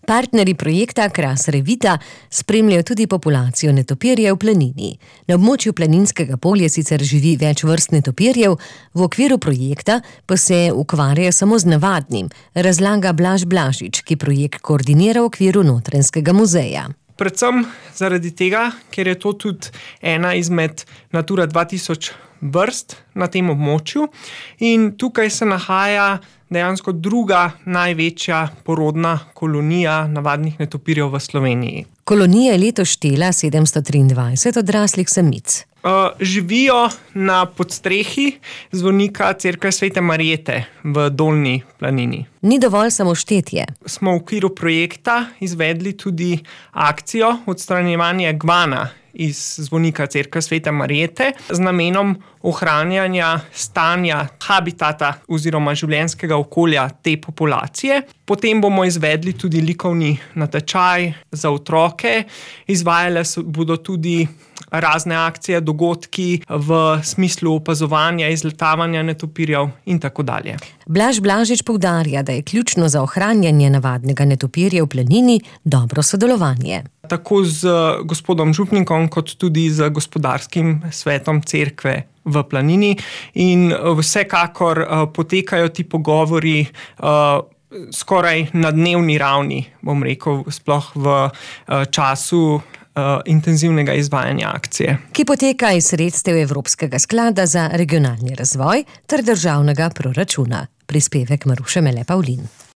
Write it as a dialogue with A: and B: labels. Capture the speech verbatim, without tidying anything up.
A: Partnerji projekta Kras Revita spremljajo tudi populacijo netopirjev v planini. Na območju Planinskega polja sicer živi več vrst netopirjev, v okviru projekta pa se ukvarjajo samo z navadnim, razlaga Blaž Blažič, ki projekt koordinira v okviru Notranjskega muzeja.
B: Predvsem zaradi tega, ker je to tudi ena izmed Natura dva tisoč vrst na tem območju in tukaj se nahaja dejansko druga največja porodna kolonija navadnih netopirjev v Sloveniji.
A: Kolonija je letos štela sedemsto triindvajset odraslih samic.
B: Uh, živijo na podstrehi zvonika cerkve Svete Marjete v Dolnji planini.
A: Ni dovolj samo štetje.
B: Smo v okviru projekta izvedli tudi akcijo odstranjevanja gvana iz zvonika cerkve Svete Marjete z namenom ohranjanja stanja habitata oziroma življenjskega okolja te populacije. Potem bomo izvedli tudi likovni natečaj za otroke, izvajale bodo tudi razne akcije, dogodki v smislu opazovanja, izletavanja netopirjev in tako dalje.
A: Blaž Blažič poudarja, da je ključno za ohranjanje navadnega netopirja v planini dobro sodelovanje.
B: Tako z gospodom župnikom, kot tudi z gospodarskim svetom cerkve v planini in vsekakor potekajo ti pogovori skoraj na dnevni ravni, bom rekel, sploh v času intenzivnega izvajanja akcije.
A: Ki poteka iz sredstev Evropskega sklada za regionalni razvoj ter državnega proračuna. Prispevek Maruše Mele Pavlin.